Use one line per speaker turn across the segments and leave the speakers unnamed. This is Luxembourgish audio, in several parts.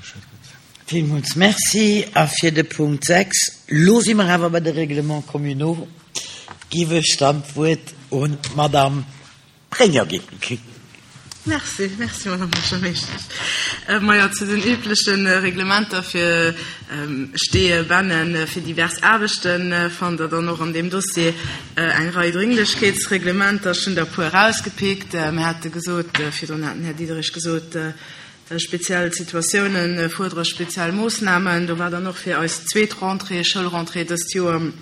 Bescheed gëtt.
Villmools Merci. A fir de Punkt 6, lo si mer awer bei de Règlements communaux, giff ech dann d'Wuert un d'Madame Prenger ginn.
Merci, merci Madame Buergermeeschtesch. Majo, zu den übleche Reglementer fir Steeë, Bennen, fir divers Aarbechten fannt Der dann och an deem Dossier eng Rei Dringlechkeetsreglementer. Ech hunn der e puer erausgepickt. Mir hate gesot, virdrun hat den Här Diderich gesot, speziell Situatiounen fuerdere speziell Moossnamen. Do war dann och fir eis zweet Rentrée, Schoulrentrée dëst Joer,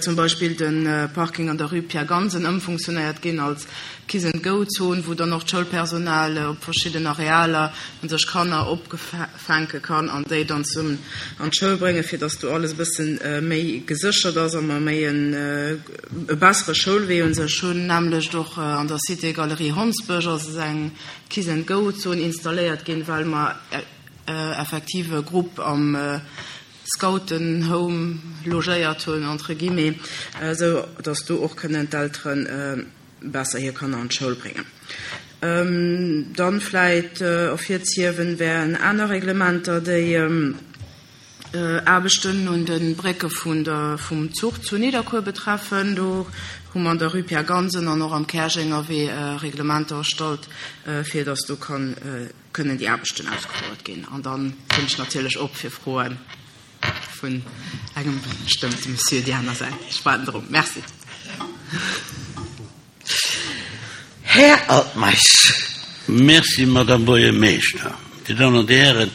zum Beispill de Parking an der Rue Pierre Gansen ëmfunktionéiert ginn als Kiss and Go Zon, wou dann och d'Schoulpersonal op verschidden Arealer un sech Kanner opfänke kann an déi dann zesummen an d'Schoul bréngen, fir dass do alles e bësse méi geséchert ass a mer méi e bessere Schoulwee un sech hunn. Nämmlecht och an der Cité Galerie Hondsbësch ass eng Kiss and Go Zon installéiert ginn, well mer effektiv e Grupp am Scouten Home logéiert hunn, entre guillemets, esou datt do och kënnen d'Eltere besser hir Kanner an d'Schoul bréngen. Dann vläit ervirzehiewen wären aner Reglementer, déi Aarbechten un de Brécke vun der vum Zuch zu Nidderkuer betreffen. Do hu mer an der Rue Pierre Gansen an och am Käerjenger Wee Reglementer erstallt, fir datt do kann kënnen déi Aarbechten ausgefouert ginn. An da sinn ech natierlech op fir Froe vun engem bestëmmte Monsieur déi aner Säit. Ech waarden drop. Merci.
Här Altmeisch.
Merci, Madame Buergermeeschter. Dir Dammen an Dir Hären,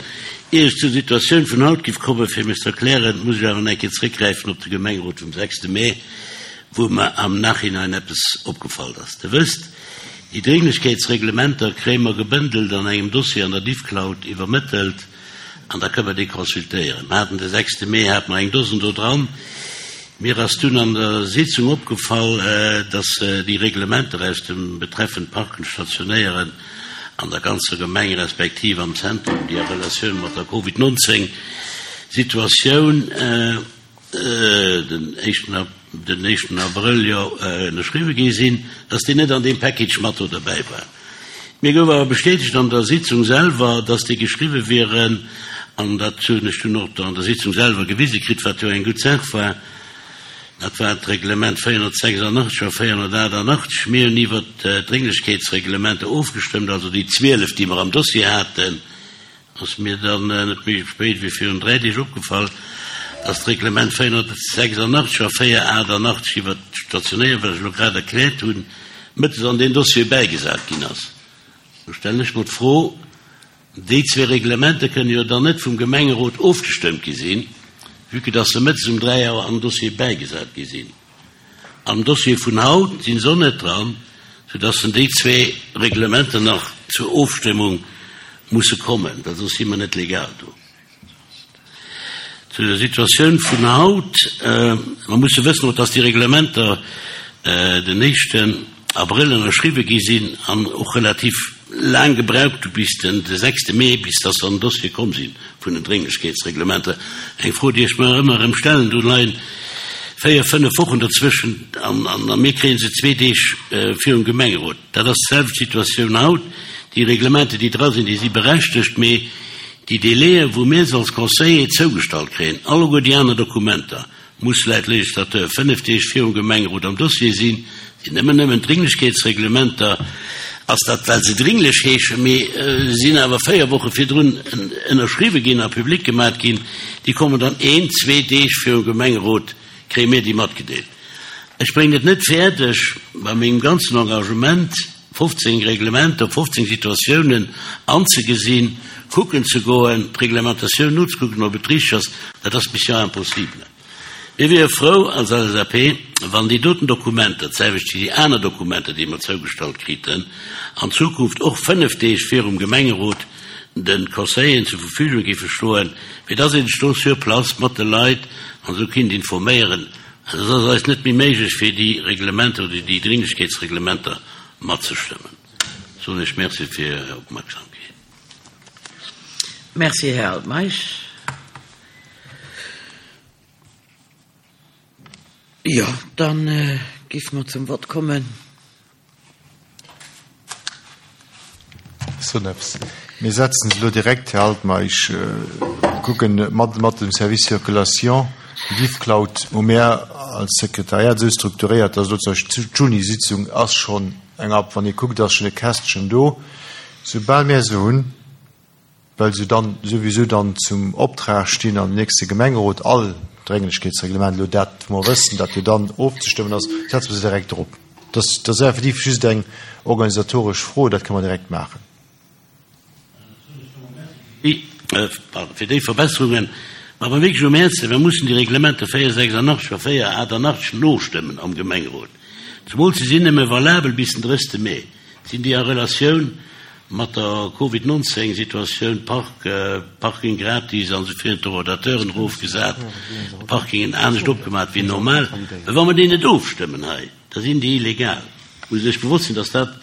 ier ech zur Situatioun vun haut giff kommen, fir mech ze erklären, muss ech awer nach eng Kéier zréckgräifen op de Gemengerot vum 6. Mee, wou mer am Nachhinein eppes opgefall ass. Der wësst, Déi Dringlechkeetsreglementer kréie mer gebëndelt an engem Dossier an der Diffcloud iwwermëttelt an da kënne mer déi consultéieren. Mer haten de sechste Mee hate mer eng Dosen do dran. Mir ass dunn an der Sitzung opgefall, dass déi Reglementer aus dem betreffend Parken, Stationéieren an der ganzer Gemeng respektiv am Zentrum, déi a Relatioun mat der Covid 19 Situatioun, den éischten den éischten Abrëll jo ënnerschriwwe gi sinn, dass déi net an deem Package mat do derbäi war. Mir gouf awer bestätegt an der Sitzung selwer, dass déi geschriwwe wieren, an dat hunn ech dunn och an der Sitzung selwer gewise kritt, wat jo eng gutt Saach war. Dat war d'Reglement 486 a 488. Mir hunn iwwert d'Drénglechkeetsreglementer ofgestëmmt, also déi 12, déi mer am Dossier haten. Ass mir dann net méi spéit wéi virun 3 Deeg opgefall, dass d'Reglement 486 a 488 iwwert d'Stationéier, wat ech elo grad erkläert hunn, mëttes an deen Dossier bäigesat ginn ass. Do stellen ech mer d'Fro, Déi zwee Reglementer kënnen jo dann net vum Gemengerot ofgestëmmt gi sinn, vue que dass se mëttes um 3 Auer an den Dossier bäigesat gi sinn. Am Dossier vun haut sinn se och net dran, soudass en déi zwee Reglementer nach zur Ofstëmmung musse kommen, well soss si mer net legal do. Zu der Situatioun vun haut, Mer musse wëssen och, dass déi Reglementer den éischten Abrëll ënnerschriwwe gi sinn an och relativ laang gebraucht hu bis den de sechste Mee, bis dass se an den Dossier komm si vun den Drénglechkeetsreglementer. Eng Fro, déi ech mer ëmmer erëm stellen, Do leien véier, fënnef Wochen dozwëschen an a mir kréie se zwee Deeg virum Gemengerot. Dat ass d'selwecht Situatioun haut. Déi Reglementer, déi dra sinn, déi si berechtegt, mee déi Délaië wou mir se als Conseiller zougestallt kréien, alleguer déi aner Dokumenter, muss laut Législateur 5 Deeg virum Gemengerot am Dossier sinn, sinn nëmmen nëmmen d'Dringlechkeetsreglementer, ass dat well se dringlech heeschen, mee sinn awer 4 Woche virdrun ënnerschriwwe ginn a public gemat ginn, déi kommen dann een, zwee Deeg virum Gemengerot, kréie mir déi matgedeelt. Ech bréngen et net fäerdeg, bei mengem ganzen Engagement 15 Reglementer, 15 Situatiounen anzegesinn, kucken ze goen, d'Reglementatioun nozekucken, ob et richteg ass, dat ass Mission impossible. Mir wiere frou als LSAP, wann déi doten Dokumenter, d'selwecht wéi déi aner Dokumenter, déi mer zougestallt kriten, an Zukunft och 5 Deeg virum Gemengerot de Conseilleren zur Verfügung géife stoen, fir dass ee sech do sur place mat de Leit an esou kinnt informéieren. Et ass eis net méi méiglech, fir déi Reglementer oder déi Dringlechkeetsreglementer matzestëmmen. Soen ech Merci fir Är Opmerksamkeet.
Merci, Här Altmeisch. Jo, da géife mer zum Vott kommen.
Soen eppes. Mir setzen se elo direkt, Här Altmeisch, kucken mat, mat dem Service Circulation, déi Diffcloud hu mär als Sekretariat esou strukturéiert, dass elo zum Beispill d'Juni-Sitzung ass schonn eng ab, wann ee kuckt, ass schonn e Kästchen do. Soubal mär se hunn, well se dann souwisou dann zum Optrag stinn an nächste Gemengerot all Drénglechkeetsreglement, elo dat wou mer wëssen, dat jo dann ofzestëmmen ass, setze mer se direkt drop. Dat ass effektiv just eng organisatoresch Fro, dat kënne mer direkt maachen.
Fir déi Verbesserungen. Mä wa wierklech um Häerzen, mir mussen déi Reglementer 486 a 488 nostëmmen am Gemengerot, zemools se sinn nëmme valabel bis den 30. Mee, sinn déi a Relatioun mat der Covid 19 Situatioun, Park, Parking gratis an esou virun, d'Horodateuren erofgesat, d'Parkingen anescht opgemat wéi normal. Mä wa mer déi net ofstëmmen hei, da sinn déi illegal. Muss Iech bewosst sinn, dass dat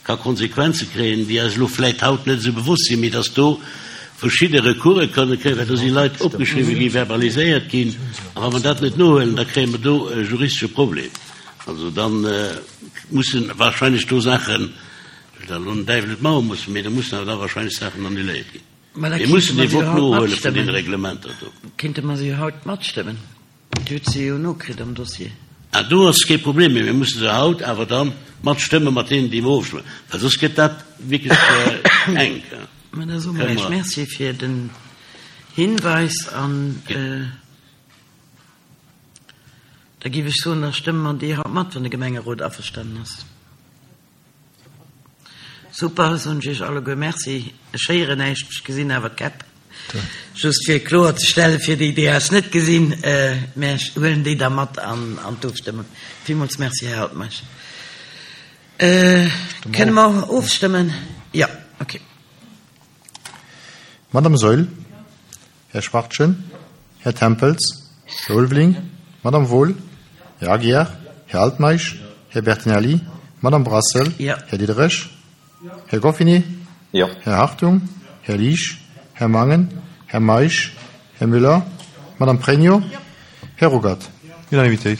ka Konsequenze kréien, déi eis elo vläit haut net esou bewosst sinn, mee dass do verschidde Recourse kënne kréien, well do si Leit opgeschriwwen ginn, verbaliséiert ginn, a wa mer dat net nohuelen, da kréie mer do e juristesche Problem. Also da mussen wahrscheinlech do Saachen, ech wëll dat elo den Däiwel net maache mussen, mee do mussen awer da wahrscheinlech Saachen annuléiert ginn. Mir mussen dee Vott nohuele vun deene Reglementer do.
Kéinte mer se jo haut matstëmmen. Dir hutt se jo nokritt am Dossier.
Ah, do ass kee Problem, mee mir musse se haut awer da matstëmme mat deenen, déi mer ofstëmmen, well soss gëtt dat wierklech enk.
Mä da soe mer Iech Merci fir den Hinweis an da géif ech soen, da stëmme mer déi haut mat, wann de Gemengerot averstanen ass. Super, soen ech iech alleguer Merci. Ech héieren näischt, ech gesinn awer d'Käpp. Just fir kloer ze stellen, fir déi, déi eis net gesinn, mä ech huelen déi da mat an d'Ofstëmmung. Villmools Merci, Här Altmeisch. Kënne mer ofstëmmen? Jo, okay.
Madame Saeul, Här Schwachtgen, Här Tempels, Här Ulveling, Madame Wohl, Här Aguiar, Här Altmeisch, Här Bertinelli, Madame Brassel, Här Diderich, Här Goffinet, Här Hartung, Här Liesch, Här Mangen, Här Meisch, Här Müller, Madame Pregno, Här Ruckert. Unanimitéit.